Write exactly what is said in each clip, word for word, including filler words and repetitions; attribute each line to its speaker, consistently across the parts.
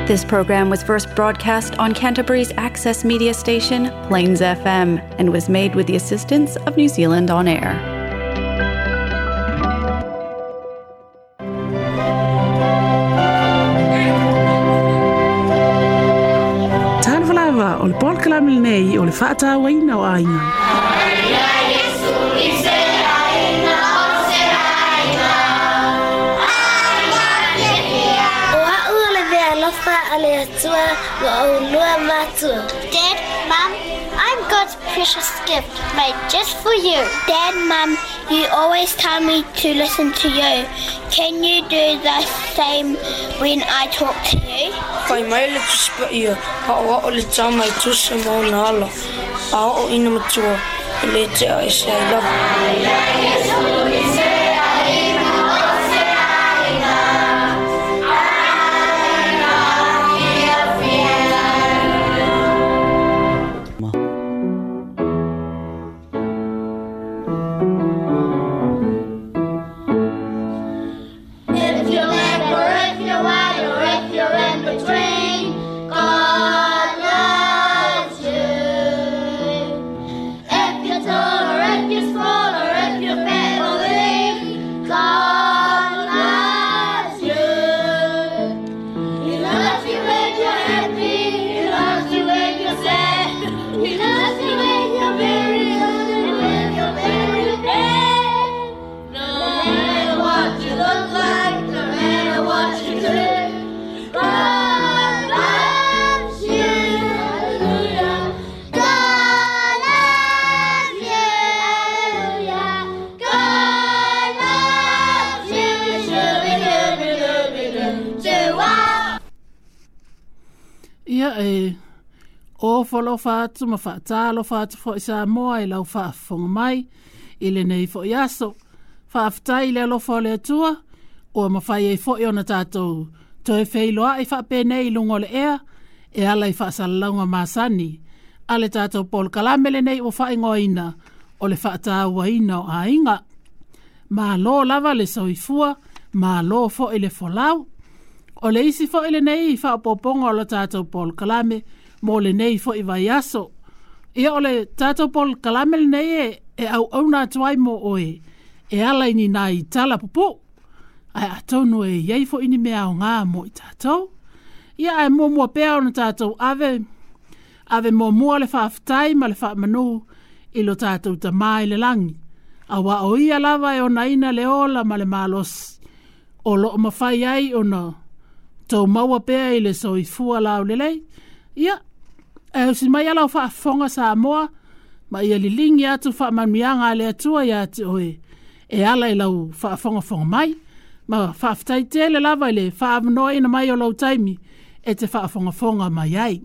Speaker 1: This program was first broadcast on Canterbury's access media station, Plains F M, and was made with the assistance of New Zealand On Air.
Speaker 2: Talofa o le polokalame lenei o le faatauaina o aiga.
Speaker 3: Dad, Mum, I'm God's precious gift made just for you. Dad, Mum, you always tell me to listen to you. Can you do the same when I talk to you?
Speaker 4: Fai mai le tusipaia, a o o le tama i tusa mauna ala, a o ina matua, e le tea e se ai lava.
Speaker 2: E o folofa atu ma faatalofa atu fo'i Samoa i lau faafofoga mai i lenei fo'i aso. Faafetai i le alofa o le Atua ua mafai ai fo'i ona tatou toe feiloa'i faapenei i luga o le ea e ala i faasalalauga masani a le tatou polokalame lenei ua faaigoaina o le faatauaina o aiga. Malo lava le soifua, malo fo'i le folau. O le isi fo'i lenei faaopoopoga o le tatou polokalame mo lenei fo'i vaiaso. Ia o le tatou polokalame lenei e, e auauna atu ai mo oe e ala i ni nai tala pupuu. Ae atonu e iai fo'i ni mea aogā mo i tatou. Ia ae muamua pea ona tatou ave, ave muamua le faafetai ma le faamanu i lo tatou Tamā i le lagi. Auā o ia lava e onaina le ola ma le malosi o loo mafai ai ona tou maua pea i le soifua laulelei. Ia, e usi mai ala o faafofoga Samoa, ma ia liligi atu faamanuiaga a le Atua ia te oe e ala i lau faafogafoga mai. Ma faafetai tele lava i le faaavanoaina mai o lau taimi e te faafogafoga mai ai.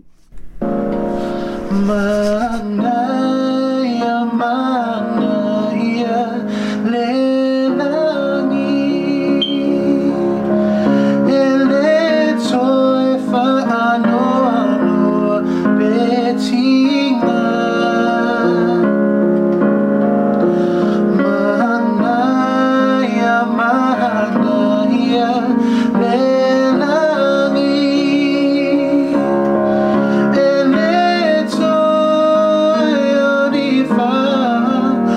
Speaker 5: Manaia, manaia, le lagi, e le toe faanoanoa pe tiga. Manaia, manaia, le lagi, e le toe onifaanoanoa.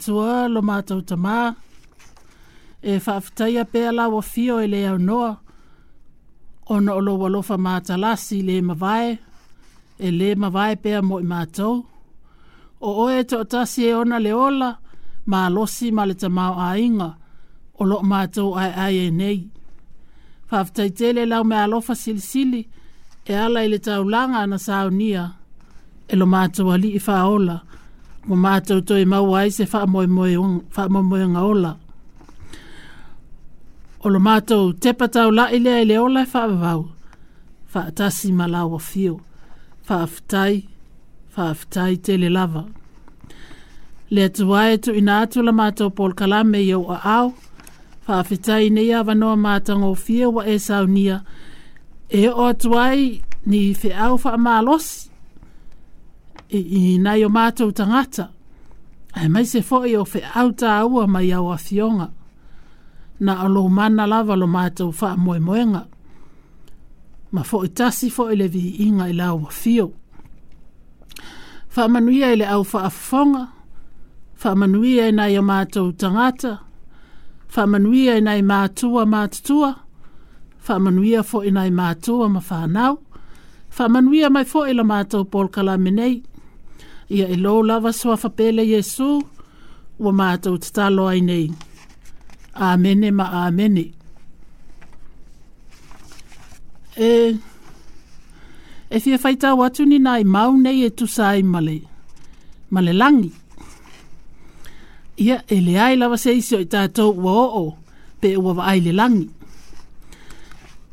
Speaker 2: Atua lo mātou tamā, e faafetaia pea lau afio e le aunoa, ona o lou alofa matalasi le mavae, e le mavae pea mo i mātou. O oe e toatasi e ona le ola, malosi ma le tamao aiga, o loo mātou ai ai e nei. Faafetai tele lau me alofa silisili, e ala i le taulaga na saunia, e lo mātou alii faaola, ua mātou toe maua ai se faamoemoega ola. O lo mātou tepa taulai lea i le ola e faavavau, faatasi ma lau afio, faafetai, faafetai tele lava. Le Atua e tuuina atu la mātou polokalame i ou aao, faafetai nei avanoa matagofie ua e saunia, e oo atu ai ni feau faamalosi i, i nai o mātou tagata, aemaise foi o feau tāua mai au afioga, na o lou mana lava lo mātou faamoemoega, ma foi tasi foi le viiga i lau afio. Faamanuia i le au faafofoga, faamanuia i nai o mātou tagata, faamanuia i nai matua matutua, faamanuia foi i nai matua ma whanau, faamanuia mai foi la mātou polokalame nei. Ia e lou lava suafa pele Iesu, ua mātou tatalo ai nei. Amene ma amene. E, e fia faitau atu ni nai mau nei e tusa ai ma le, ma le lagi. Ia e leai lava se isi o i tātou ua oo pe ua vaai le lagi.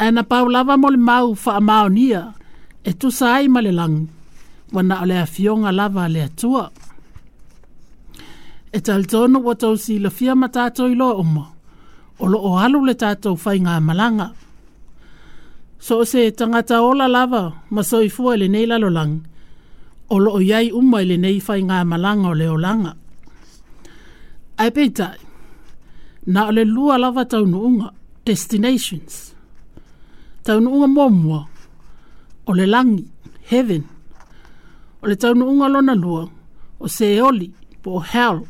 Speaker 2: Ae na pau lava mo le mau faamaonia e tusa ai ma le lagi, ua na o le afioga lava a le Atua. E talitonu ua tou silafia ma tātou iloa uma, o loo alu le tātou faigamalaga. So o se tagata ola lava ma soifua i lenei lalolagi, o loo iai uma i lenei faigamalaga o le olaga. Ae peitai, na o le lua lava taunuuga, destinations. Taunuuga muamua, o le lagi, heaven. O le taunuuga lona lua, o Seoli, po o hell.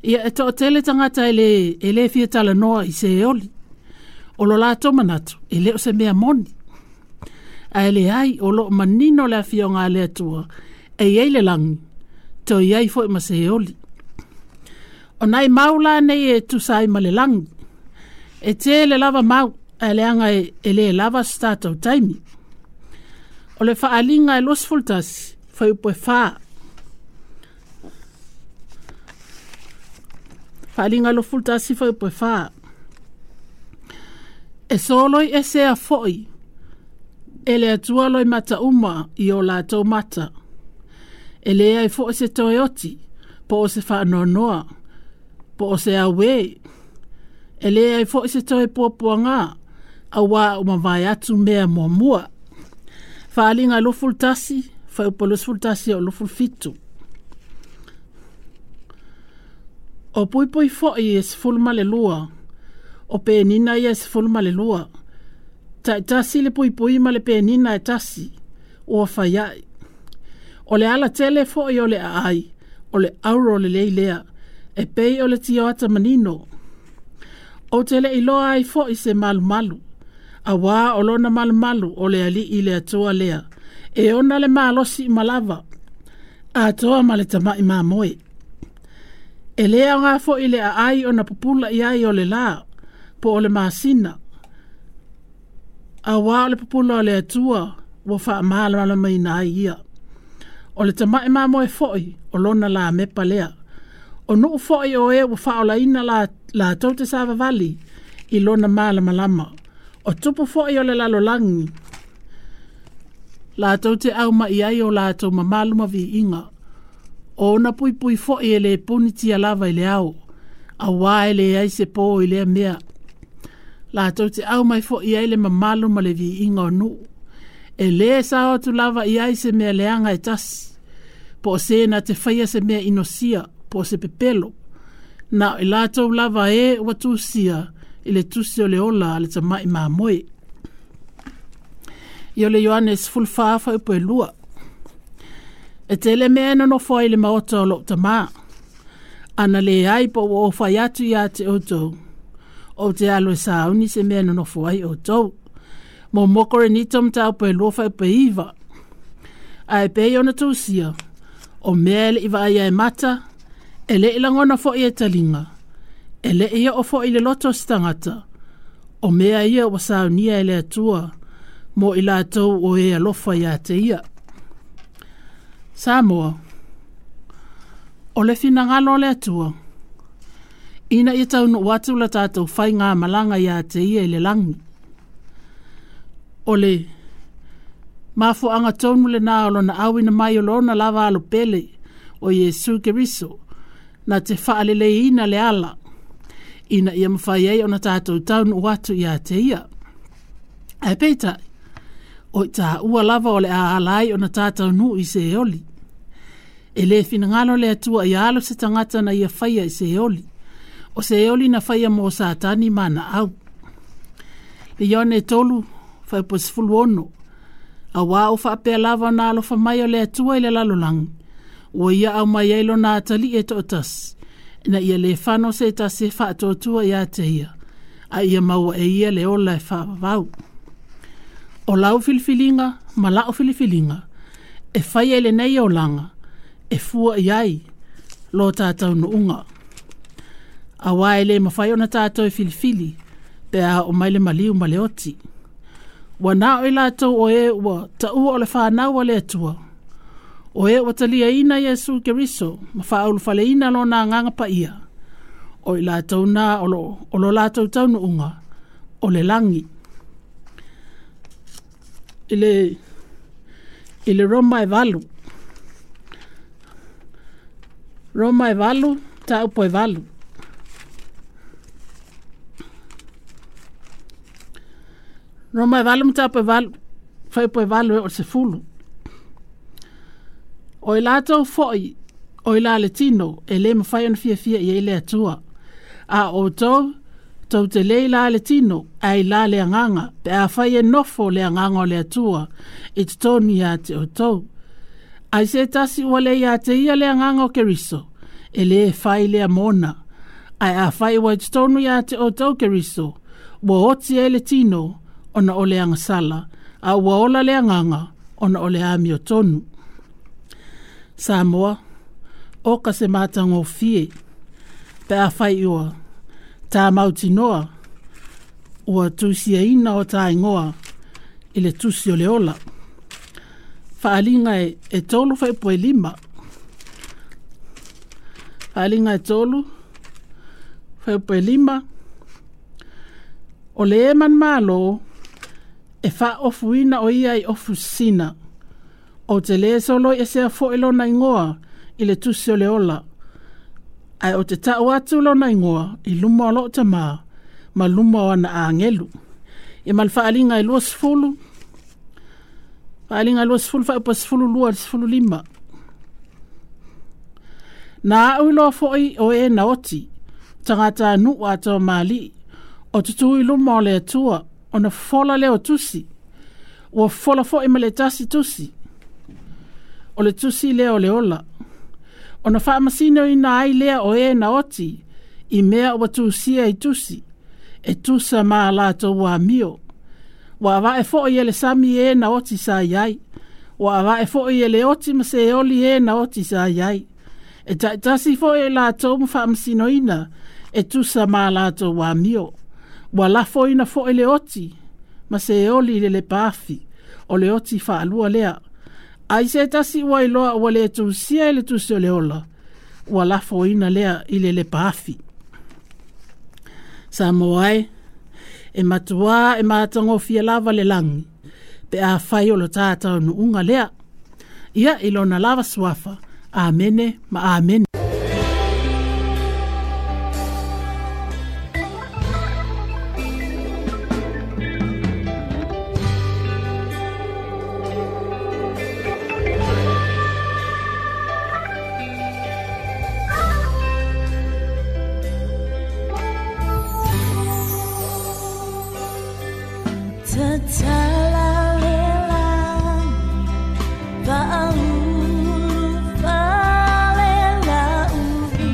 Speaker 2: Ia e toatele tagata e le, e le fia talanoa i Seoli. O lo latou manatu, e le o se mea moni. Ae leai o loo manino le afioga a le Atua, e iai le lagi, toe iai foi ma Seoli. O nai mau la nei e tusa ai ma le lagi. E tele lava mau, ae leaga e, e le lava se tatou taimi. O le faaliga e luasefulu tasi, fuaiupu e fa. Faaliga e luasefulu tasi, fuaiupu e fa. E soloi esea foi, e le Atua loimata uma i o latou mata. E leai foi se toe oti, po o se faanoanoa, po o se auē. E leai foi se toe puapuagā, auā ua mavae atu mea muamua. Faaliga luasefulu tasi, fuaiupu luasefulu tasi o luasefulu fitu. O puipui foi e sefulu ma le lua, o penina ia e sefulu ma le lua. Taitasi le puipui ma le penina e tasi, ua fai ai. O le alatele foi o le aai, o le auro lelei lea, e pei o le tioata manino. Ou te le iloa ai foi se malumalu, auā o lona malumalu o le alii le Atua lea, e ona le malosi uma lava, atoa ma le tama'i mamoe. E le aoga foi le aai ona pupula i ai o le lā, po o le masina, auā o le pupula o le Atua ua faamalamalamaina ai ia. O le tama'i mamoe foi o lona lamepa lea. O nuu foi o e ua faaolaina la, latou te savavali i lona malamalama. O tupu foi o le lalolagi, latou te auma'i ai o latou mamalu ma viiga. O ona puipui foi e le punitia lava i le ao, auā e leai se pō i lea mea. Latou te aumai foi ai le mamalu ma le viiga o nuu. E lē sao atu lava i ai se mea leaga e tasi, po o se na te faia se mea inosia, po o se pepelo. Na o i latou lava e ua tusia i le tusi o le ola a le tama'i mamoe. I o le Ioane sefulufa fuaiupu e lua. E tele mea e nonofo ai le maota o lou tamā. Ana le ai po ua ofai atu ia te outou. O te alo e sauni se mea nonofo ai outou. Mo mo Korinito mataupu e lua fuaiupu e iva. Ae pei ona tusia, o mea e le'i vaaia e mata, e le'i lagona fo'i e taliga, e le'i oo fo'i le loto o se tagata, o mea ia ua saunia e le Atua, mo i latou o e alofa iā te ia. Samoa, o le finagalo o le Atua, ina ia taunuu atu la tatou faigamalaga iā te ia i le lagi. O le mafuaaga tonu lenā o lona auina mai o lona lava alo pele o Iesu Keriso, na te faaleleiina le ala, ina ia mafai ai ona tatou taunuu atu iā te ia. Ae peitai, o i tāua lava o le a ala ai ona tataunuu i Seoli. E lē finagalo le Atua ia alo se tagata na ia faia i Seoli. O Seoli na faia mo Satani ma ana au. Le Ioane tolu, fuaiupu e sefulu ono. Auā ua faapea lava ona alofa mai o le Atua i le lalolagi, ua ia aumai ai lona atalii e toatasi, ina ia lē fano se tasi e faatuatua iā te ia, a ia maua e ia le ola e faavavau. O lau filifiliga ma la'u filifiliga, e faia i lenei olaga, e fua i ai lo tataunuuga. Auā e lē mafai ona tatou e filifili, pe a oo mai le maliu ma le oti. Ua na o i latou o e ua taua o le fanau a le Atua, o e ua taliaina Iesu Keriso ma faaulufaleina lona agaga paia, o i latou na o lo, o lo latou taunuuga o le lagi. I le, i le Roma e valu. Roma e valu, mataupu e valu. Roma e valu, mataupu e valu, fuaiupu e valu e oo i le sefulu. O i latou fo'i o i la le tino e lē mafai ona fiafia i ai le Atua. A outou, tou te lē i la le tino, ae i la le agaga, pe afai e nofo le agaga o le Atua i totonu iā te outou. Ai se tasi ua le iā te ia le agaga o Keriso, e lē fai lea mona. Ae afai ua i totonu iā te outou Keriso, ua oti ai le tino ona o le agasala, a ua ola le agaga ona o le amiotonu. Samoa, oka se matagofie, pe afai ua tā mautinoa, ua tusiaina o tā ingoa i le tusi o le ola. Faaliga e, e tolu fuaiupu e lima. Faaliga e tolu fuaiupu e lima. O le e manumalo, e faaofuina o ia i ofu sisina. O te lē soloiesea fo'i lona igoa i le tusi o le ola. Ae o te ta'u atu lona igoa i luma o lo'o tamā ma luma o ana agelu. Ia ma le faaliga e lua sefulu, faaliga e lua sefulu fuaiupu e sefulu lua i le sefulu lima. Na a'u iloa fo'i o e na oti, tagatanu'u atoa mali'i, o tutū i luma o le Atua, ona fofola lea o tusi. Ua fofola fo'i ma le tasi tusi. O le tusi lea o le ola. Ona faamasinoina ai lea o e na oti, i mea ua tusia i tusi, e tusa ma a latou amio. Ua ava'e fo'i e le sami e na oti sa i ai. Ua ava'e fo'i e le oti ma Seoli e na oti sa i ai. E ta'itasi fo'i o latou ma faamasinoina, e tusa ma a latou amio. Ua lafoina fo'i le oti ma Seoli i le lepaafi, o le oti faalua lea. Ai se tasi ua iloa ua lē tusia i le tusi o le ola, ua lafoina lea i le lepaafi. Samoa e, e matuā e matagofie lava le lagi, pe afai o lo tataunuuga lea. Ia i lona lava suafa, Amene ma Amene.
Speaker 6: Tatala le lagi, faaulu fale la uvi.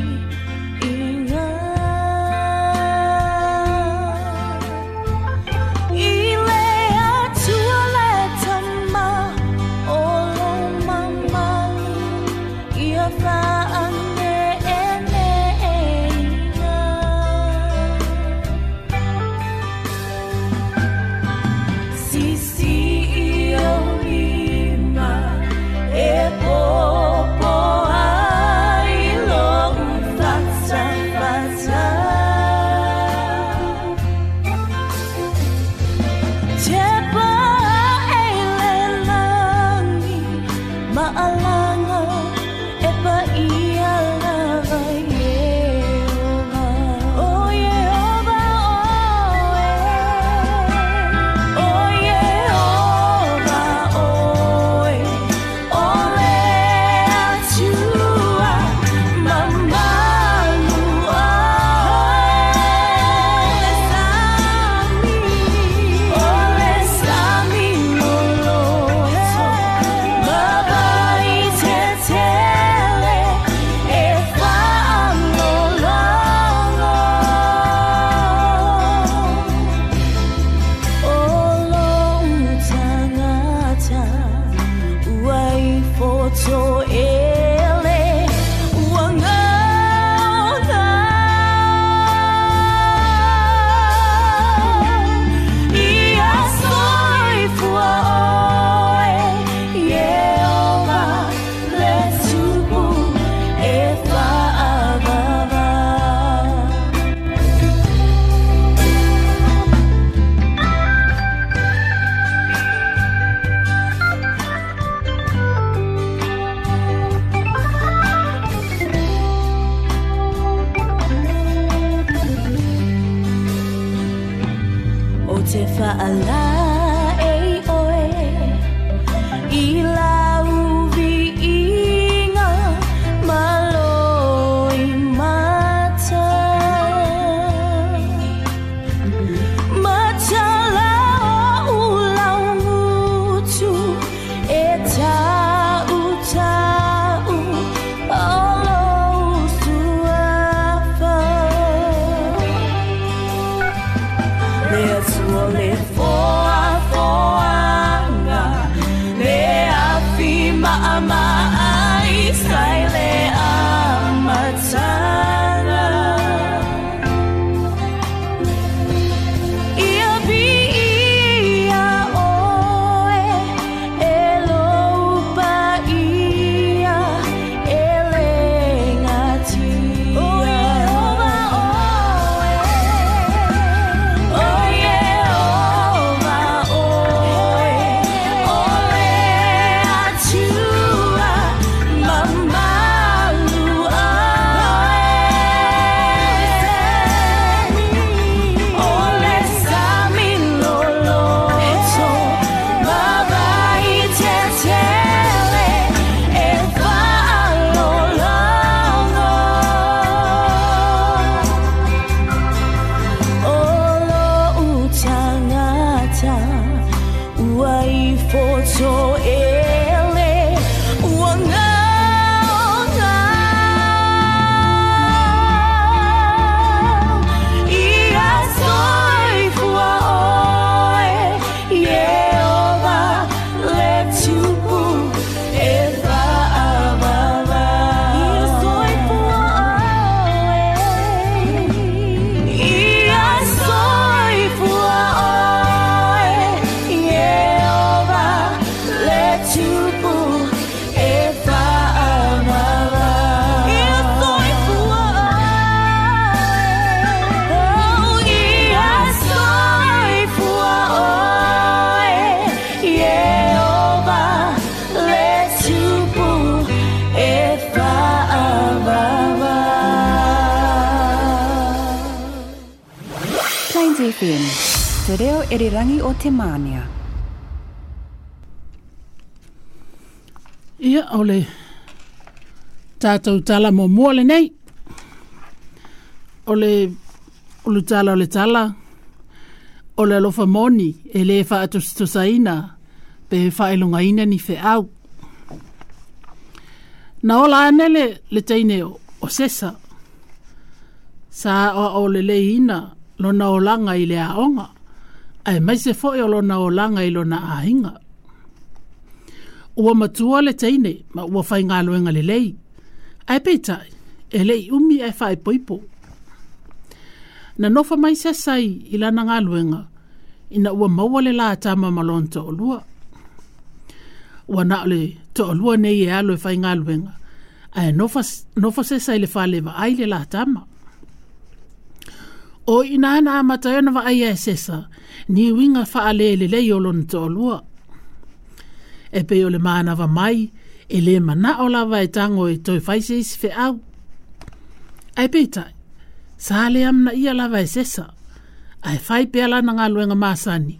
Speaker 6: O te whaala e oe i lau viinga malo i mata. Matala o ulau ngutu e tau tau o lou suafa. Le atua le foa foanga, le afi maama ai sai le amatanga. Ia vi ia oe e lou paia e le ngatia. O Iehova oe, o Iehova oe, o le Atua mamalu oe. O le sami loloto, mavai tetele e faalologo. O lou tagata ua ifoto ele ua gaoga. Ia soifua oe, Iehova le Tupu e faavava. Ia soifua oe, ia soifua oe, Iehova le Tupu e faavava. Ia soifua oe, oh, ia soifua oe, Iehova le Tupu e faavava.
Speaker 7: Plains F M, te reo erirangi o te Mānia.
Speaker 2: Ia, o le tātou tala muamua lenei. O le, o le tala o le tala, o le alofa moni e le whaatustusaina pe whaelungaina ni wheau. Na ola ane le, le teine o, o Sesa. Sa o, o le leina lona olanga i le aonga, ae maise foi o lona olanga i lona ahinga. Ua matua le teine, ma ua whai ngā le lei. Ae peitai, e lei umi e whae poipo. Na nofa mai Sesa i, i lana ngā luenga, ina ua maua le la tama ma lona to'olua. Ua na o le to'olua nei e alo e whai ngā luenga, ae nofa, nofa Sesa i le whale vaai le la tama. O ina ana amata e ona vaai e Sesa, ni winga whaale le lei o lona to'olua. E pe o le mānawa mai, e le mana o lava e tango e toi whaise isi wheau. Ai peitai, sa le amna ia lava e Sesa, ai whai pea lana ngā luenga māsani,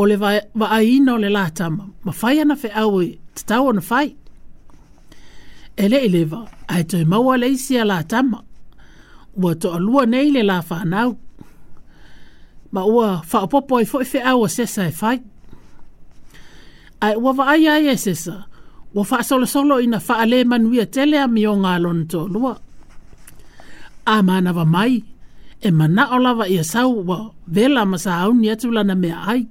Speaker 2: o le vaaina o le lātama, ma whai ana wheau e te tau ona whai. E le i lewa, ai toi maua le isi a lātama, ua to'alua nei le la whanau. Ma ua whaopopo ai foi wheau a Sesa e whai. Ai ua vaai ai e Sesa, ua whaasolosolo ina whaale manuia tele a mionga a lona to'olua. A mānawa mai, e manao lava ia sau ua vela ma sa auni atu lana mea ai.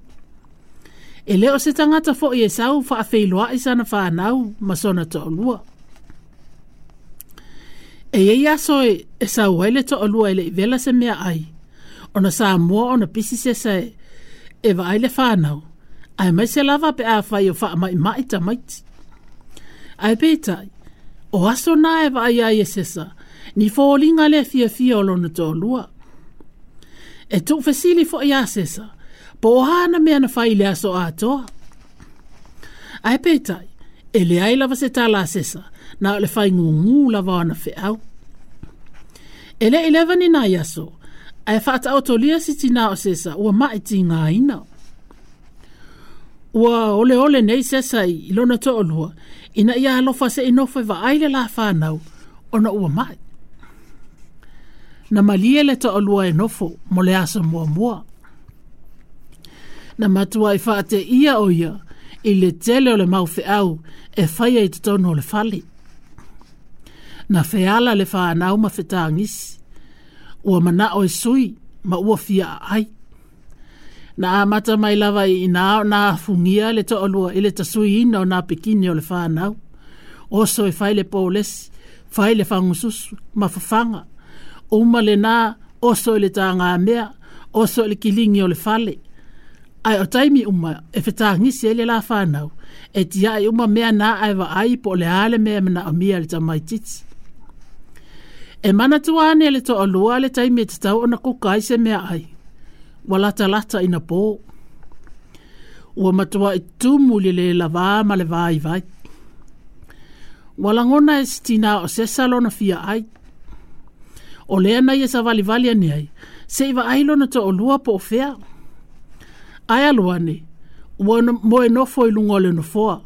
Speaker 2: E leo se tangata foi e sau whaawheiloa i sana whanau ma sona to'olua. E ei aso e, e sau ai le to'olua e le i vela se mea ai. Ona sa mua ona pisi Sesa e, e vaai le whanau. Ai mai se lava pe a whai o wha mai mai tamaiti. Ai peitai, o aso nā e vaai ai e Sesa, ni fōlinga le fia fia o lona to'olua. E tuu fesili fo i a Sesa, po o hana mea na whai le aso atoa. Ai peitai, e le ai lava se tala a Sesa, na o le whai ngungu lava ona wheau. E le ileva ni nai aso, Ae faataotolia si tinā o Sesa ua ma'i tigaina. Ua oleole nei Sesa i lona to'alua ina ia alofa se'i nofo e vaai le la fanau ona ua ma'i. Na malie le to'alua e nofo mo le aso muamua. Na matuai faateia o ia i le tele o le mau feau e faia i totonu o le fale. Na feala le fanau ma fetagisi. Ua mana'o e sui ma ua fia aai. Na amata mai lava i ina ona afugia le to'alua i le tasuiina o nā pekini o le fanau. Oso e fai le polesi, fai le fagususu ma fafaga. Uma lenā oso i le tagamea, oso i le kiligi o le fale. Ae o taimi uma e fetagisi ai le la fanau, e tia'i uma mea na ae vaai po o le a le mea e manaomia e le tamaititi. E manatua ane le to'alua le taimi e tatau ona kuka ai se meaai. Ua latalata ina pō. Ua matua'i tumu i le lē lavā ma le vaivai. Ua lagona e si tinā o Sesa lona fia ai. O lea na ia savalivali ane ai, se'i vaai lona to'alua po o fea. Ae alu ane, ua moe nofo i luga o le nofoa.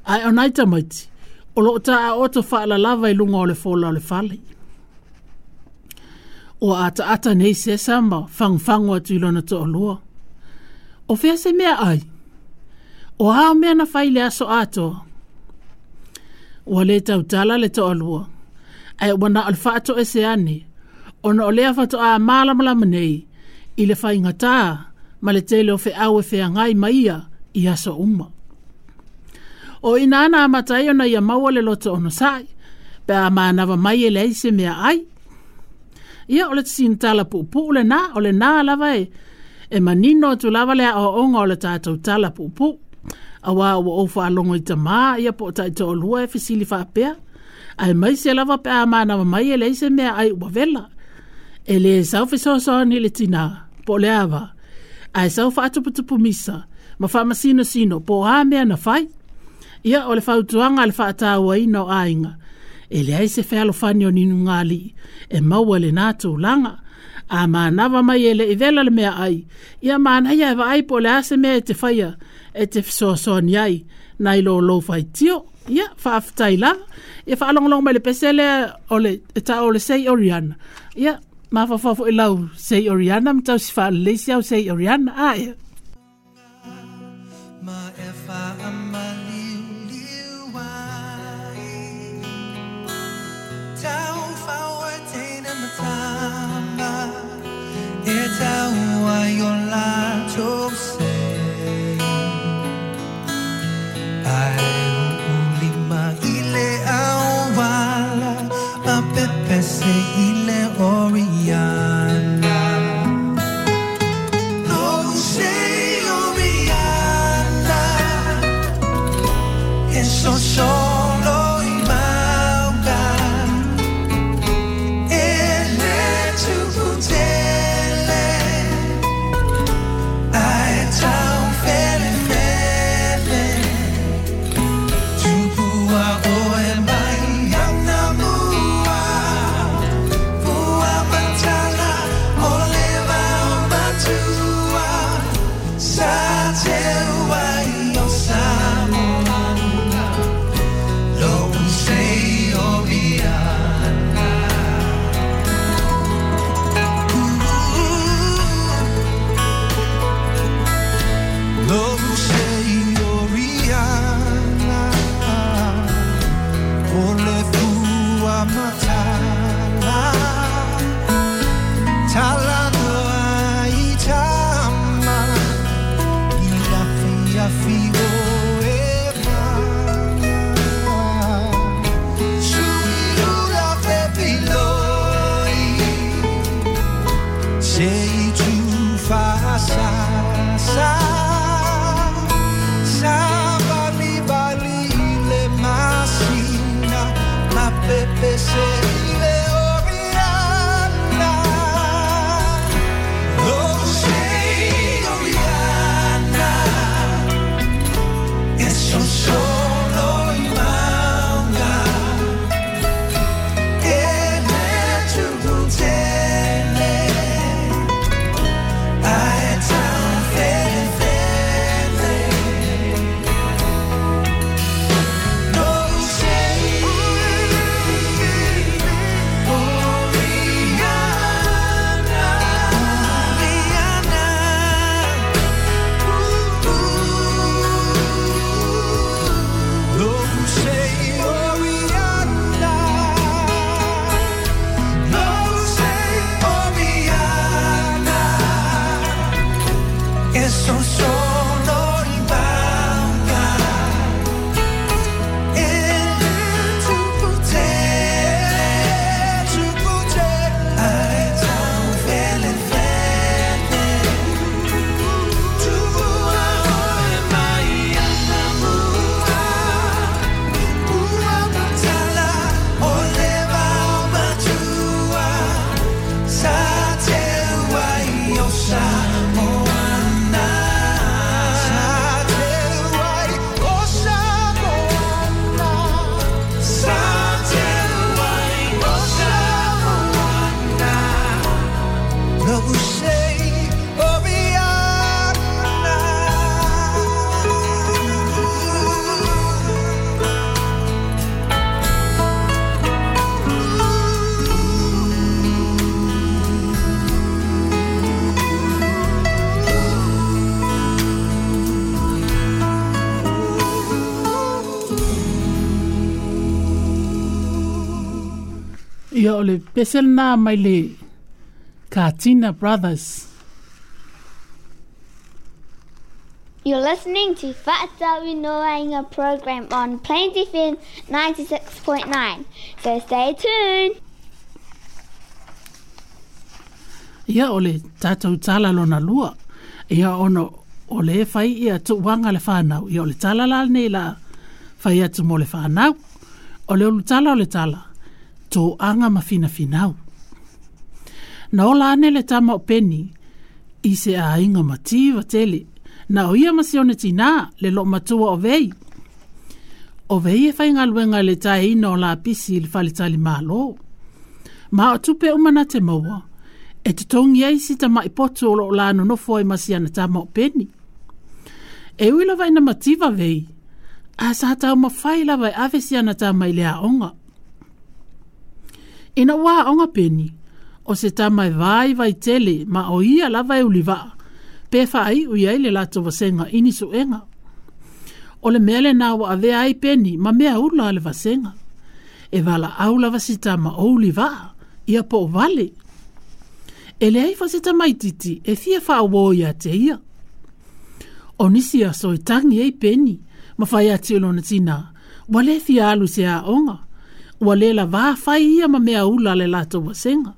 Speaker 2: Ae o nai tamaiti, o loo taaoto faalalava i luga o le fola o le fale. Ua ataata nei Sesa ma fagufagu atu i lona to'alua. O fea se mea ai? O a o mea na fai le aso atoa? Ua lē tautala le to'alua. Ae ua na o le faatoese ane, ona o lea fatoā malamalama nei i le faigatā ma le tele o feau e feagai ma ia i aso uma. O ina na amata ai ona ia maua le loto onosa'i, pe a manava mai e leai se mea ai. Ia o le sinatala puupuu lenā, o lenā lava e, e manino atu lava le aoaoga o le tatou tala puupuu. Auā ua ou faalogo i tamā ia po o taitoalua e fesili faapea. Ae maise lava pe a manava mai e leai se mea ai ua vela. E lē sau fesoasoani i le tinā, po o le ava, ae sau faatuputupu misa ma faamasinosino po o a mea na fai. Ia o le fautuaga a le faatauaina o aiga, e leai se fealofani o ni nugali'i e maua i lenā tulaga. A manava mai e le'i vela le mea ai, ia manaia e vaai po o le a se mea e te faia e te fesoasoani ai nai lo lou faitio. Ia, faafetai lava. Ia faalogologo mai le pese lea o le e ta'u o le Sei Oriana. Ia, mafaufau foi lau Sei Oriana ma tausi faalelei si au Sei Oriana. A ea.
Speaker 5: Ma e whaamaliuliu ai. Tau whaoa teina matama, e tau ai o lātou se. Ai uulima i le auala, ma pepese i le Oriana. Lo'u sei Oriana, e sosolo i mauga, e le tupu tele, E so solo i mauka E le tupu tele, tupu tele Ai tau fele fele Tupu a oe mai ana mua Ua matala o le vao matua Sa te wai o sa moana Sa te wai o sa moana Sa te wai o sa moana No sei o viana.
Speaker 2: Ia o le pese lena mai le Katina Brothers.
Speaker 3: You're listening to Fa'atawi Noainga program on Plains F M ninety-six point nine. So stay tuned.
Speaker 2: Ia o le tātou tala lona lua. Ia ono o le fai ia tuuanga le whanau. Ia o le tala la nei la fai atu mo le whanau. O le ulu tala o le tala. Tō anga ma whina whinau. Na ola ane le tama o Peni i se a inga mativa tele. Na o ia masione tina le lo matua o vei. O vei e whai ngaluenga le tae ina o la pisi i le whalitali malo. Ma o tupe umana te maua. E te tongi ai si tama i potu o lo la nonofo ai masiana tama o Peni. E ui lava ina mativa vei. A sa tau mawhai lava e ave siana tama i le aonga. Ina ua aonga Peni, o se tama e vai vai tele ma o ia lava e ulivaa. Pe whaai ui ai le lato vasenga ini suenga. O le mele nā wa avea ai Peni ma mea ula le vasenga. E wala au lava si tama o ulivaa, ia po o vale. E le ai fa se tamaititi e fia whaawō ia te ia. O nisi aso e tangi ei Peni, ma whai ati o lona tina, wa le fia alu se aonga. Ua le la vā whai ia ma mea ula le lato wasenga.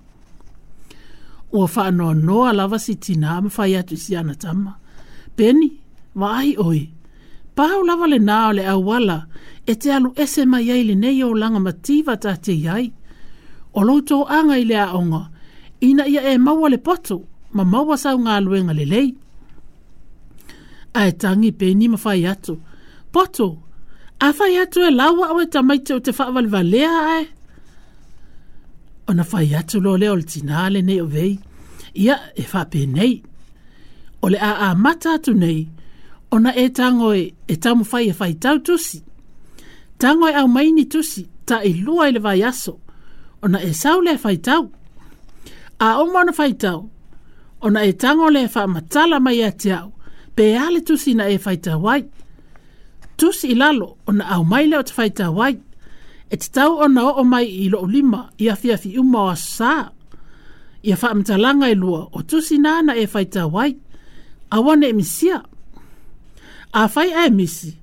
Speaker 2: Ua whaanoa noa lava si tina ma whai atu si ana tama. Peni, wa ai oi. Pau lava le nā o le awala e te alu ese mai ai le nei o langa mativa tā te iai. O lou tō anga i le aonga, ina ia e maua le poto, ma maua sau ngā luenga le lei. Ae tangi Peni ma whai atu. Poto, a whai atu e laua au e tamaiti o te whaawalivalea ae. Ona whai atu lo leo le tina le nei o vei. Ia e whape nei. O le a a mata atu nei, ona e tango e, e tamu whai e whai tau tusi. Tango e au maini tusi, ta i lua i le vai aso. Ona e sau le whai tau. A oma ona whai tau. Ona e tango le wha matala mai a te au. Pe ale tusi na e whai tau ai. Tusi i lalo, ona au mai leo te whai tau ai. E te tau ona o o mai i lo lima, i awhi awhi uma o asa. Ia whaamatalanga i lua, o tusi nāna e whai tau ai. Awane e misia. A whai e misi,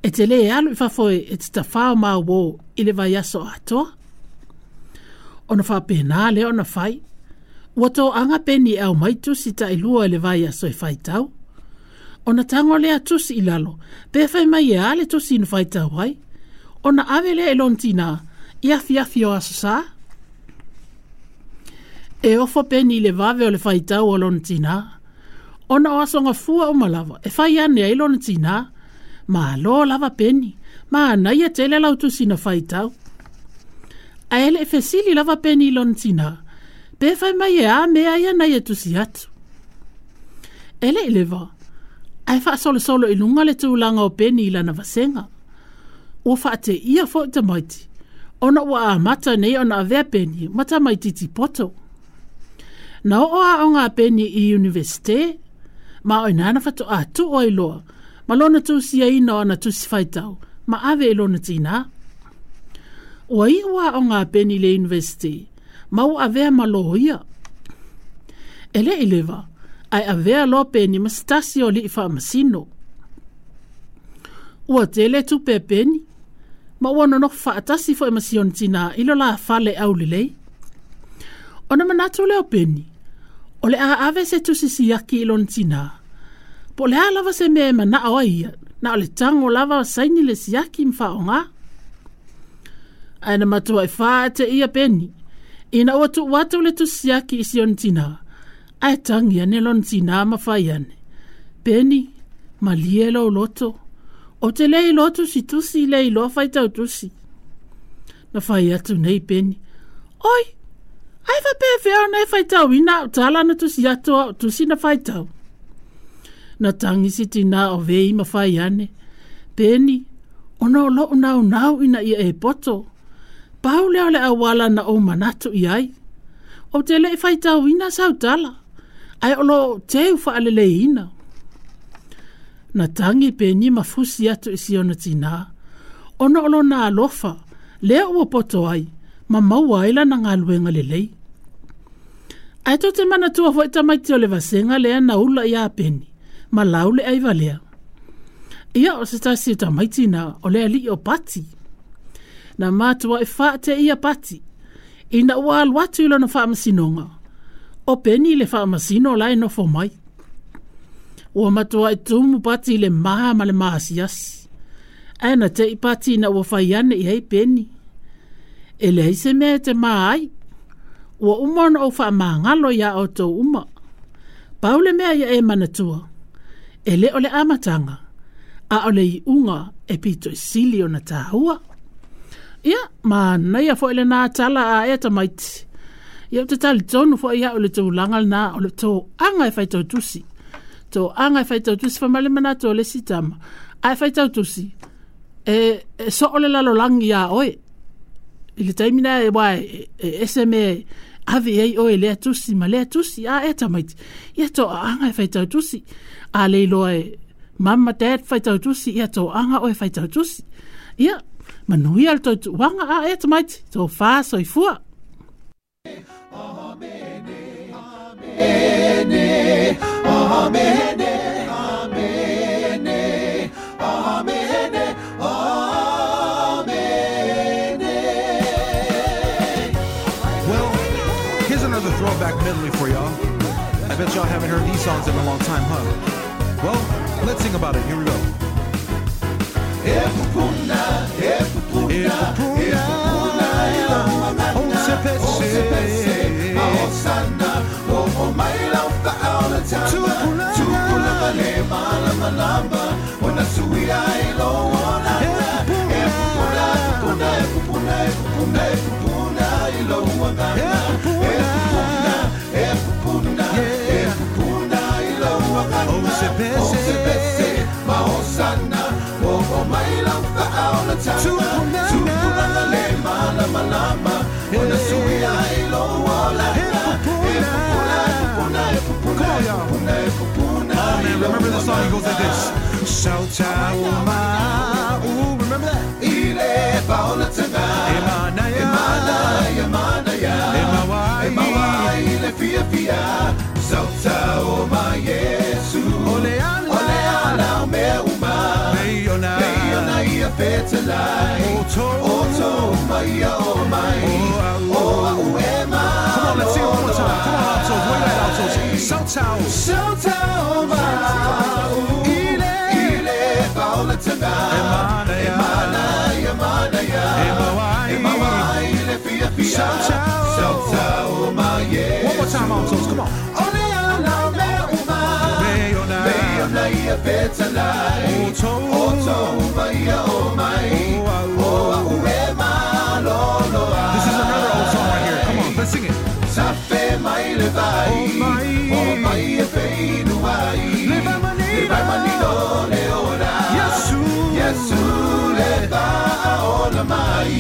Speaker 2: e te le alu i whafoe e te tawhao mā wō i le vai aso atoa. Ona whapēnā le ona whai. Ua tō anga Peni e au mai tusi ta i lua i le vai aso e whai tau. Ona tango lea tusi i lalo, pe whai mai e ale tusi ina whai tau ai. Ona ave lea e lona tina, i awhi awhi o aso sā. E ofo Peni i le vave o le whai tau o lona tina. Ona o aso ngā fua o malawa, e whai ane ai lona tina. Ma lo lava Peni, ma anaia tele lau tusi na whai tau. A ele e fesili lava Peni i lona tina, pe whai mai e a mea ia nei e tusi atu. Ele i lewa, ai whaasolosolo i lunga le tūlanga o Peni i lana vasenga. Ua whaate ia fo i tamaiti, ona ua a mata nei ona avea Peni, ma tamaititi poto. Na o a o ngā Peni i universite, ma o inana whato a tu o i loa, ma lona tūsia ina o ana tusi whaitau, ma ave i lona tina. Ua i ua o ngā Peni le universite, ma ua avea ma loho ia. E le i lewa, Ae avea loa Peni ma se tasi o ali'i fa'amasino. Ua tele tupe a Peni, ma ua nonofo fa'atasi fo'i ma si ona tinā i lo la fale aulelei. Ona manatu lea o Peni, o le a ave se tusi siaki i lona tinā. Po o le a lava se mea e mana'o ai ia, na o le tago lava saini le siaki ma fa'aogā. Ae na matua'i fa'ate'ia Peni, ina ua tu'u atu le tusi siaki i si ona tinā, ae tagi ane lona tinā ma fai ane. Peni, malie lou loto, o te lē iloa tusitusi le iloa faitau tusi. Na fai atu nei Peni, oi, ae faapefea ona e faitauina a'u tala na tusi atu a'u tusi na faitau. Na tagi si tinā o vei ma fai ane, Peni, ona o lo'u naunau ina ia e poto. Pau lea o le auala na ou manatu i ai. Ou te le'i faitauina sau tala, ae o loo teu fa'aleleiina. Na tagi Peni ma fusi atu i si ona tinā, ona o lona alofa, lea ua poto ai, ma maua ai lana galuega lelei. Ae tou te manatua fo'i tamaiti o le vasega lea na ula iā Peni, ma lau le aiva lea. Ia o se tasi o tamaiti na o le ali'i o Pati. Na matua'i fa'ate'ia Pati, ina ua alu atu i lona fa'amasinoga. O Peni le fa'amasino la e nofo mai. Ua matua'i tumu Pati i le mā ma le maasiasi. Ae na te'i Pati ina ua fai ane i ai Peni. E leai se mea e te mā ai. Ua uma ona ou fa'amagalo iā outou uma. Pau le mea ia e manatua. E lē o le amataga, a o le iʻuga e pito i sili ona tāua. Ia, manaia fo'i lenā tala a ea tamaiti. Ia ou te talitonu fo'i a'u le tulaga lenā o le toaga e faitautusi. Toaga e faitautusi fai mai le manatu o le isi tama. Ae faitautusi, e, e so'o le lalolagi iā oe. I le taimi lea e uā e, e ese mea e ave i ai oe i lea tusi ma lea tusi a ea tamaiti. Ia toaaga e faitautusi. A le iloa e mama dad faitautusi, ia toaga oe faitautusi. Ia, manuia le tou tuuaga a ea tamaiti. Tofā soifua.
Speaker 5: Well, here's another throwback medley for y'all. I bet y'all haven't heard these songs in a long time, huh? Well, let's sing about it. Here we go. E pupuna, e pupuna, e pupuna, o sepese, osana, o o mai lau fa'aola tanga, tupulaga le malamalama, ona suia i lo olana. E pupuna, e pupuna, e pupuna, e pupuna, e pupuna i lo agana. E pupuna, e pupuna, e pupuna i lo agana. O sepese, ma osana, o o mai lau fa'aola tanga, tupulaga le malamalama, ona suia i lo olana. E pupuna, e pupuna, e pupuna, e pupuna, e pupuna. Oh man, remember the song? It goes like this. Sautauma. Ooh, remember that? Ile paola tanga. Emanaya. Emanaya, emanaya. Emawai. Emawai le fia fia. Sautauma Yesu. Ole ala. Ole ala o mea uma. Peiona. Peiona ia fetalai. Oto. Oto mai o mai. O au e ma. Come on, let's sing it one more time. Come on, altos. Where you at, altos? Sautau. Sautauma. Ile. Ile paola tanga. Emanaya. Emanaya, emanaya. Emawai. Emawai le fia fia. Sautau. Sautauma Yesu. One more time, altos. Come on. Ole ala o mea uma. Peiona. Peiona ia fetalai. Oto. Oto mai o mai. O au e ma lo loa. This is another old song right here. Come on, let's sing it. Safe mai le vai. O mai. O mai e feinu ai. Le vai manino. Le vai manino le ora. Yesu. Yesu le va ola mai.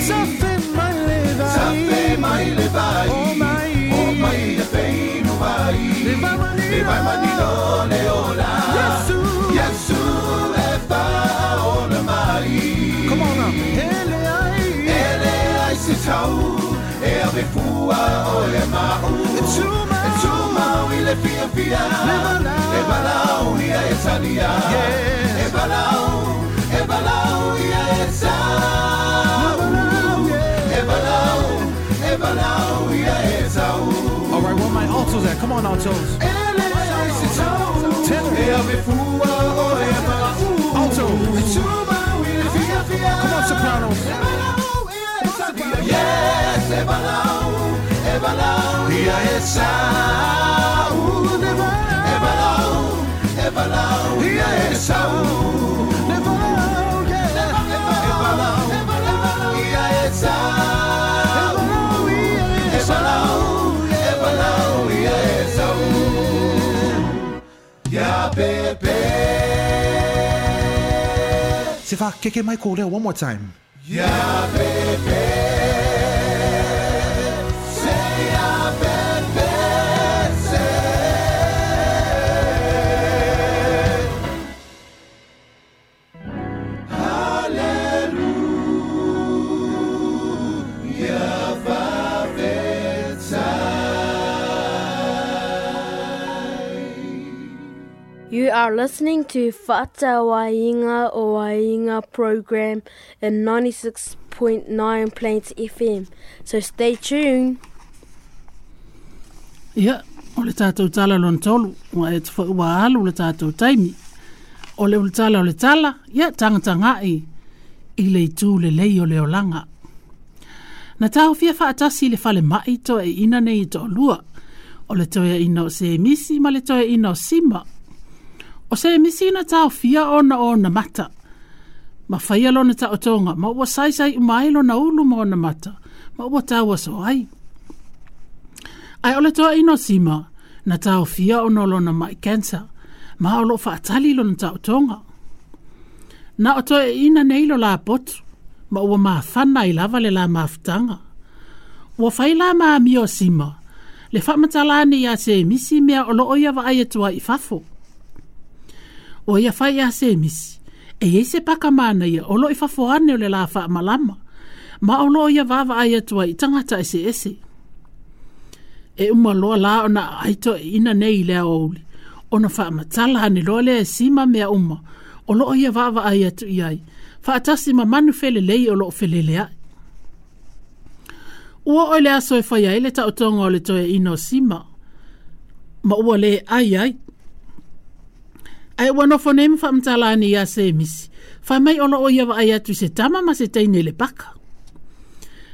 Speaker 5: Safe mai le vai. Safe mai le vai. O mai. O mai e feinu ai. Le vai manino. Le vai manino le ora. Yesu. Yesu le va ola mai. Come on now. Ele ai. Ele ai se tau. E ave fua o e mau. E tumau. E tumau i le fia fia e valau ia e salia e valau e valau ia e sau e valau e valau ia e sau.
Speaker 8: All right, where my altos at? Come on, altos. Tenor. Alto. Come on, sopranos.
Speaker 5: Yes, e valau, e valau, ia e sau. E valau, e valau, ia e sau. E valau, ia e sau. E valau, e valau, ia e sau. Ia pepe.
Speaker 8: Sefa, keke mai ko leo one more time.
Speaker 5: Ia pepe. Se ia pepe se. Hallelujah, Favetai.
Speaker 4: You are listening to Fa'atauaiga o Aiga program in ninety-six point nine Plains F M. So stay tuned.
Speaker 2: Ia, o le tātou tala lona tolu, ua e te foi ua alu le tātou taimi. O le ule tala o le tala, ia tangatangai i le itu le lei o le olaga. Na taofia faatasi le fale mai to e ina nei to lua. O le toea ina o se misi ma le toea ina o sima. O se misi na taofia ona o na mata. Ma whaia lona taotonga, ma ua saisai umai lona ulu ma ona mata, ma ua taua so ai. Ai o le toa ino sima, na taofia ona lona mai cancer, ma o lo whaatali lona taotonga. Na o toe ina nei lo la potu, ma ua maafana i lava le la maafutanga. Ua whai la maami o sima, le whamatalani ia se misi mea o lo oia wa ai atua i fafo. O ia whai ia se misi, e iei se pakamana ia o lo i fafo ane o le la whaamalama, ma o lo ia wawa ai atua i tangata ese ese. E uma loa la ona aito e ina nei lea ouli, ona whaamatala ane loa lea e sima mea uma, o lo ia wawa ai atu i ai, whaatasi ma manu fele lei o lo o felele ai. Ua oi le aso e whai ai le taotonga o le toe ina o sima, ma ua le ai ai. Ai ua nofo nei mwhaamtala ane ia se misi, whai mai o lo o ia wa ai atu i se tama ma se teine le paka.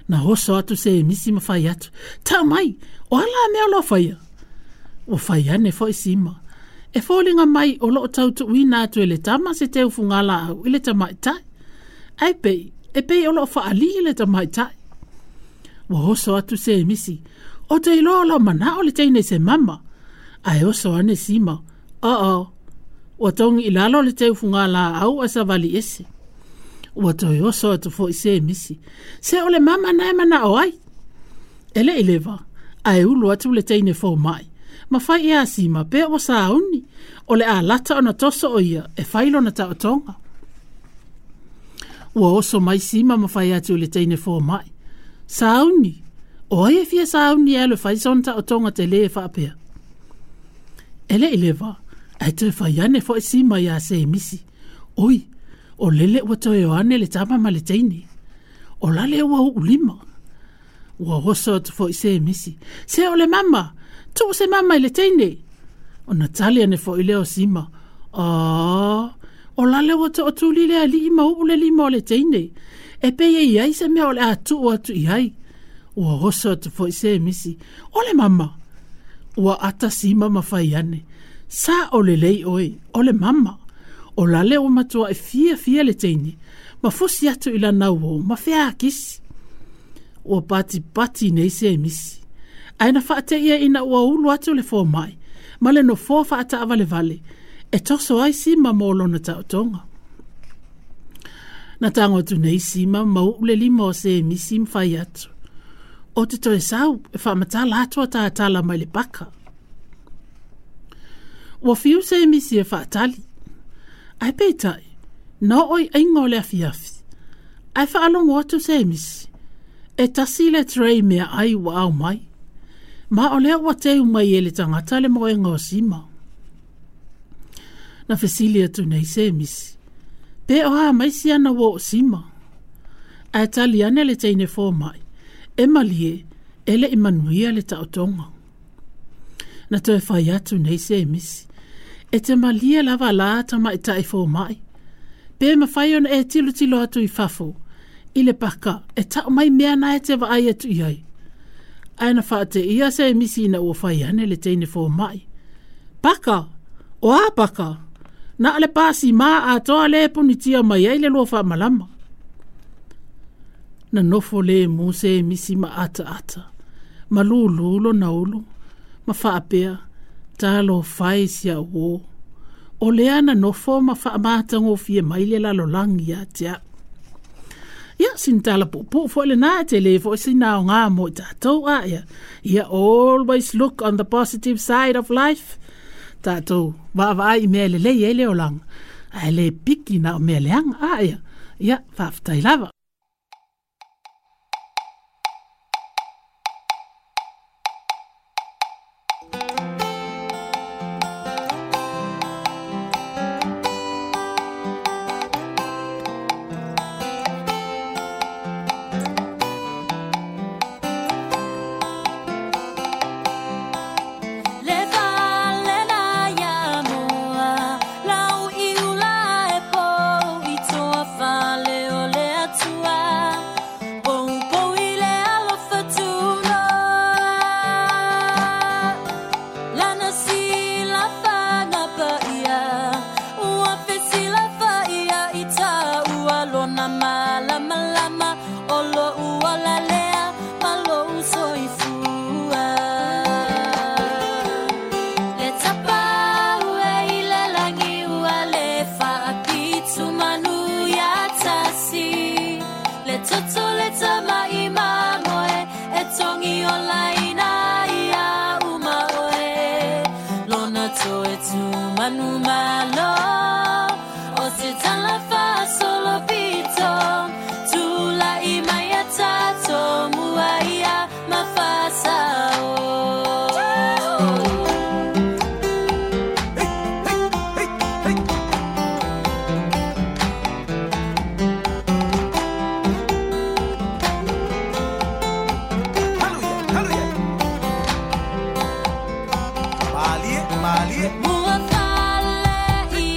Speaker 2: Na hoso atu se misi ma whai atu, tau mai, o ala mea o lo whaia. O whai ane fo i sima. E fōlinga mai o lo o tautu uina atu e le tama se te ufungala au i le tamaitai. Ai pei, e pei o lo o whaali i le tamaitai. Ua hoso atu se misi, o te iloa o lo mana o le teine se mama. Ai oso ane sima, o-o, ua tongi i lalo le te ufungala au a sa vali ese. Ua toi oso atu fo i se misi, se o le mama nae mana o ai. E le ilewa, ai ulu atu le teine fō mai. Ma whai ia sima pe o sauni, o le a lata ona toso o ia e whailo na taotonga. Ua oso mai sima ma whai atu le teine fō mai. Sauni, o ai e fia sauni e alu whai son taotonga te le e whaapea. E le ilewa, ai toe whai ane fo i sima ia se misi. Oi, o lele ua toe o ane le tama ma le teine. O lale ua ulima. Ua oso atu fo i se misi. Se o le mama, tuu se mama i le teine. O na tali ane fo i leo sima. Ah, o lale ua to o tuli le ali ma uu le lima o le teine. E pe i ai se mea o le a tuu atu i ai. Ua oso atu fo i se misi. O le mama. Ua ata sima ma whai ane. Sa o le lei oe, o le mama. O lale o matua e fia fia le teine. Ma fusi atu i la nau o, ma fea akisi. Ua pati pati nei se misi. Ai na whaate ia ina ua ulu atu le fō mai. Ma le no fō whaata awale vale. E toso ai sima mō lona taotonga. Na tango atu nei sima ma ule lima o se misi mwhai atu. O te toe sau e whaamatala atua tātala mai le paka. Ua fiu se misi e whaatali. Ai peitai, na oi ainga o le afiafi. Ai whaalongo atu se misi. E tasi le trei mea ai ua au mai. Ma o lea ua teu mai e le tagata le moega o Sima. Na fesili atu nei Semisi, pe o a mai siana uo o Sima. Ae tali ane le teine fōmai, e malie, e le i manuia le taotoga. Na toe fai atu nei Semisi, e te malie lava la tamaitai fōmai. Pe mawhai ona e tilotilo atu i fafo, i le paka, e tau mai mea na e te vaai atu i ai. Ae na whaate ia Semisi ina ua fai ane le teine fōmai. Paka! O a paka! Na le pasi mā atoa le punitia mai ai le lua whaamalama. Na nofo le mu Semisi ma ata ata. Ma lulu lo naulu. Ma whaapea, talo fai sia uo. O lea na nofo ma whaamātangofie mai le lalolangi ia te au. Ia, sin tala pupu fo le nā te le fo sina o ngā mo i tātou a ia. Ia, always look on the positive side of life. Tātou, vaavaai i mea le lei e le olanga. Ai le piki na o mea leanga a ia. Ia, faafetai lava.
Speaker 6: Le fale na ia moa, lau i ula e pou i toa fale o le atua. Pou pou i le alofa tunoa. Lana sila whanga pa ia, ua fesila fa ia i tā ua lona malama lama, o lo ua lalea, ma lo usoifua. Le tapa ue i le langi ua le whaapitu manu ia tasi. Le toto le tama i mamoe, e tongi o laina ia uma oe. Lona toe tu manu malo, o te tala whaasolo pito. Tula i mai a tato, mua ia mawhasa o.
Speaker 5: Hey, hey, hey, hey. Hallelujah, hallelujah. Malie, malie.
Speaker 6: Mua fale i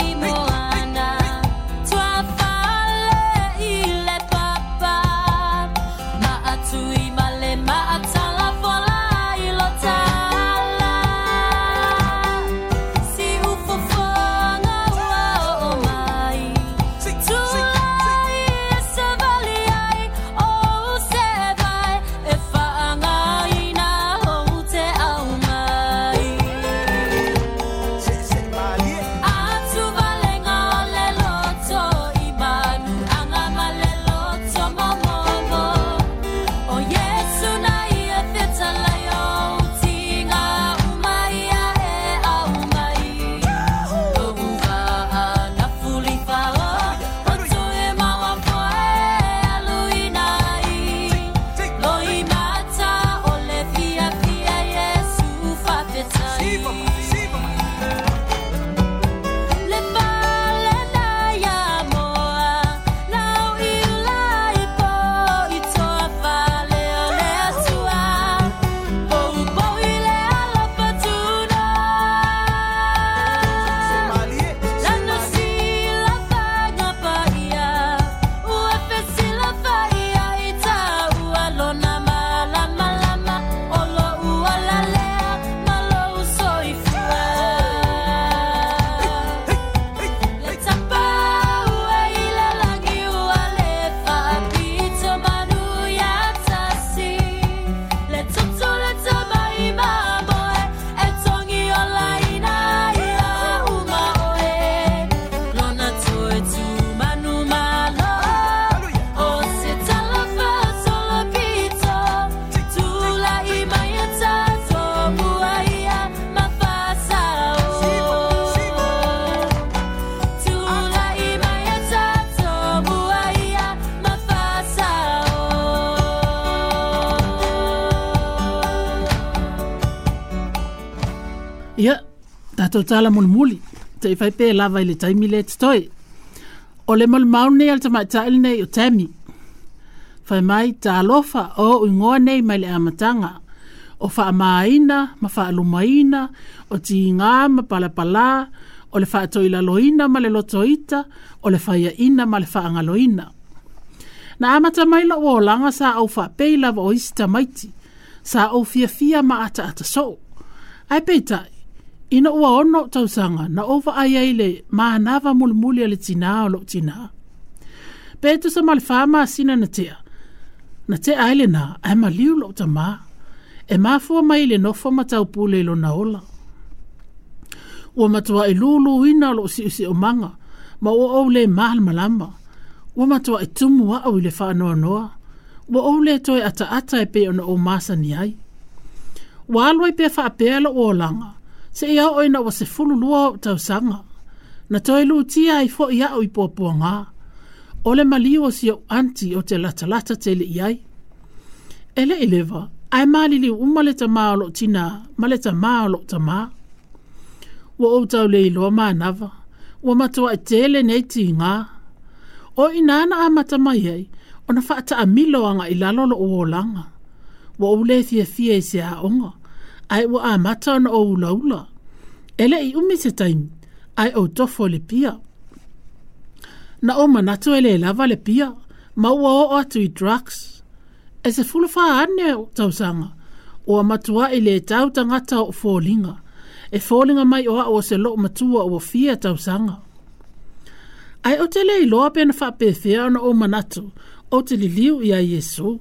Speaker 2: tatou tala mulimuli, te i fai pe lava i le taimi le totoe. O le molimau nei a le tamaitai lenei o Tammy. Fai mai talofa o ingoa nei mai le amataga, o faamaina ma faalumaina, o tiga ma palapalā, o le faatoilaloina ma le lotoita, o le faiaina ma le faagaloina. Na amata mai lou olaga sa ou faapei lava o isi tamaiti, sa ou fiafia ma ataata soo. Ae peitai, ina ua ono tausaga na ou vaai ai le manava mulimuli a le tinā o lou tinā. Pe tusa ma le wha masina na tea, na tea ai lenā ae maliu lou tamā, e mafua mai le nofo ma taupule i lona ola. Ua matua i luluina o lou siusiumaga, ma ua ou le malamalama. Ua matua i tumu au i le whaanoanoa. Ua ou le toe ataata e pe ona o masani ai. Ua alu ai pea faapea lou olaga, se ia oo ina ua sefulu lua o tausaga. Na toe lutia ai fo'i a'u i puapuagā. O le maliu o si ou anti o te latalata tele i ai. E le i leva, ae maliliu uma le tamā o lou tinā ma le tamā o lou tamā. Ua ou tauleiloa manava, ua matua'i tele nei tigā. O ina na amata mai ai, ona faataamilo aga i lalo lou olaga. Ua ou le fiafia i se aoga, ae ua amata ona ou ulaula. E le i umi se taimi, ae ou tofo i le pia. Na ou manatu e le lava le pia, ma ua oo atu i drugs. E sefulu wha ane o tausaga, ua matua'i le tau tagata o foliga. E foliga mai o a'u o se loo matua ua fia tausaga. Ae o te le iloa pe na faapefea ona ou manatu, o te liliu ia Iesu.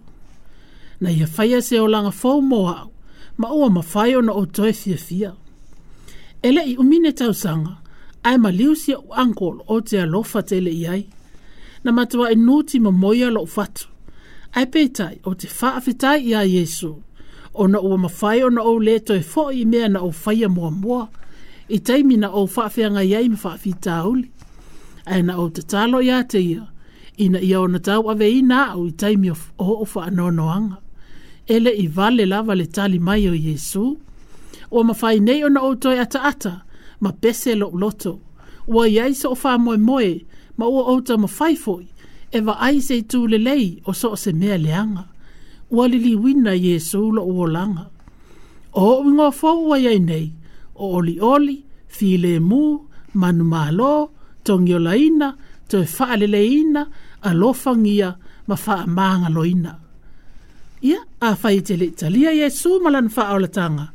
Speaker 2: Na ia faia se olaga fou mo a'u, ma ua mafai ona ou toe fiafia. E le i umine tausaga, ae maliu si ou uncle o te alofa tele i ai. Na matua'i nuti mamoia lou fatu. Ae peitai o te faafetai ia Iesu, ona ua mafai ona ou le toe fo'i i mea na ou faia muamua, i taimi na ou faafeagai ai ma faafitauli. Ae na ou tatalo ia te ia, ina ia ona tauaveina a'u i taimi o o'u faanoanoaga. E le i vale lava le tali mai o Iesu. Ua mafai nei ona ou toe ataata, ma pese lou loto. Ua iai so'o faamoemoe, ma ua ou taumafai fo'i, e vaai se itu lelei o so o se mea leaga. Ua liliuina Iesu lou olaga. O o'u igoa fou ua iai nei, o olioli, filemu, manumālō, togiolaina, toe faaleleina, alofagia ma faamagaloina. Ia, afai e te le i talia Iesu ma lana faaolataga,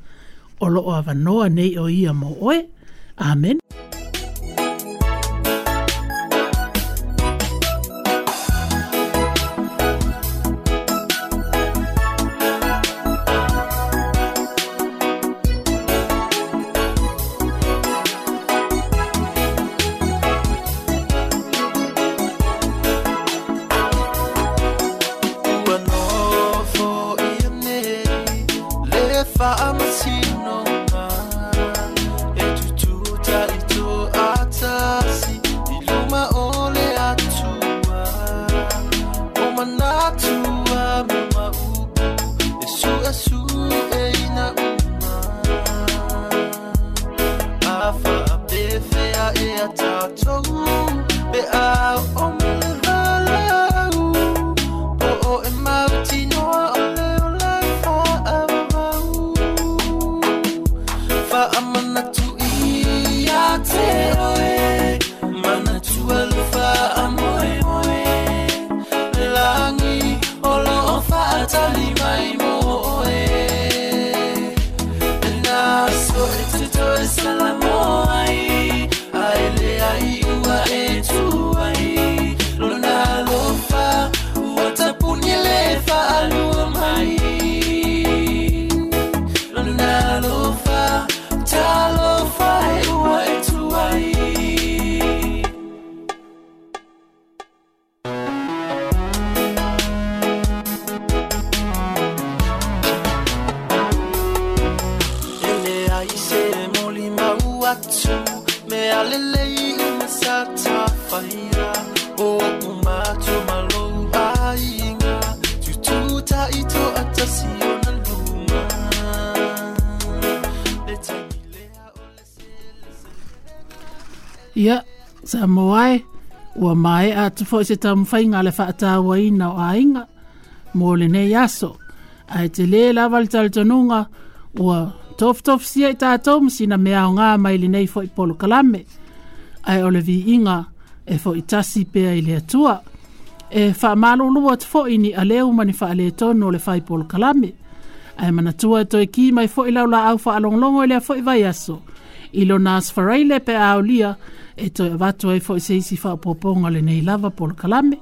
Speaker 2: o loo avanoa nei o ia mo oe. Amen.
Speaker 9: Ua nofo ia nei le faamasinoga, e tututa i toatasi i luma o le Atua. O manatu a ma maupu e suesueina uma. A faapefea ea tatou pe a o ma le valaau, po o e mautinoa o le ola e faavavau. Faamanatu ia te oe, manatua le faamoemoe. Le lagi o loo faatali mai mo oe. E naso e te toe salamoa ai, ae le ai ua e tu ai. Lona alofa ua tapuni le faalua mai. Lona alofa, talofa e ua e tu ai. E le ai se moli mau atu, me alelei uma sa tafaia. O umatu malou aiga, tututa i toatasi ona luma. Le taimi lea o le
Speaker 2: Ia, Samoa e, ua maea atu fo'i se taumafaiga a le faatauaina o aiga mo lenei aso. Ae telē lava le talitonuga ua tofutofusia i tatou ma sina mea aogā mai lenei fo'i polokalame. Ae o le viiga e fo'i tasi pea i le Atua. E faamalulu atu fo'i ni aleu ma ni faaletonu o le fai polokalame. Ae manatua e toe ki mai fo'i lau laau faalogologo i lea fo'i vaiaso. I lona aso Faraile pe a aulia e toe avatu ai fo'i se isi faaopoopoga o lenei lava polokalame.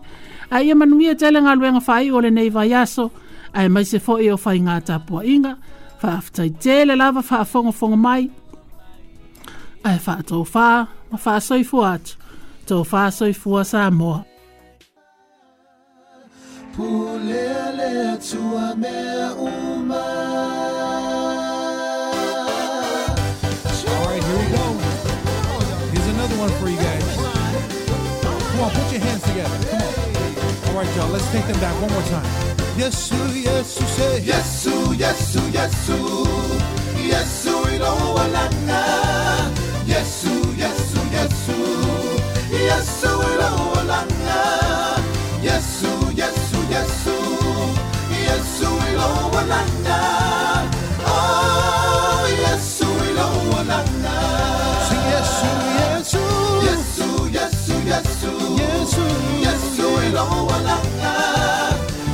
Speaker 2: Ae ia manuia tele galuega faaiu o lenei vaiaso, aemaise fo'i o faigā tapuaʻiga. Faafetai tele lava faafogafoga mai. Ae faatofā ma faasoifua atu. Tofā soifua Samoa.
Speaker 9: Pulea le Atua mea uma.
Speaker 5: All right, here we go. Here's another one for you guys. Come on, put your hands together. Come on. All right, y'all, let's take them back one more time.
Speaker 9: Yesu, Yesu, say Yesu, Yesu, Yesu. Yesu iloalanga. Yesu, Yesu, Yesu. Yesu iloalanga. Yesu, Yesu, Yesu. Yesu iloalanga. Oh, Yesu iloalanga.
Speaker 5: Sing Yesu, Yesu.
Speaker 9: Yesu, Yesu, Yesu.
Speaker 5: Yesu.
Speaker 9: Yesu iloalanga.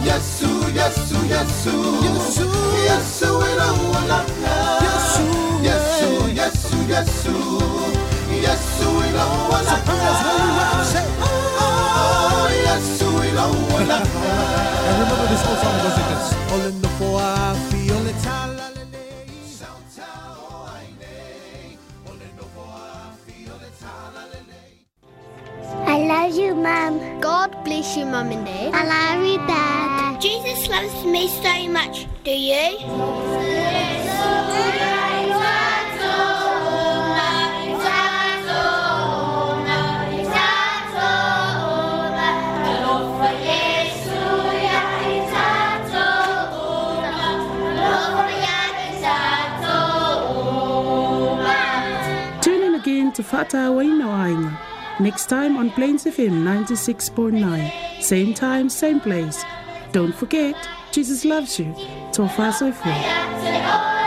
Speaker 9: Yesu, Yesu, Yesu.
Speaker 5: Yesu.
Speaker 9: Yesu iloalanga.
Speaker 5: Yesu.
Speaker 9: Yesu, Yesu, Yesu. Yesu iloalanga. Oh, Yesu iloalanga.
Speaker 5: And remember this old song goes like this.
Speaker 9: Ole no afi, ole tala lele.
Speaker 3: I love you, Mum.
Speaker 10: God bless you, Mum and Dad.
Speaker 3: I love you, Dad. Jesus loves me so much. Do you?
Speaker 2: Tune in again to Faatauaina o Aiga next time on Plains F M ninety-six point nine. Same time, same place. Don't forget, Jesus loves you. Tofa soifua.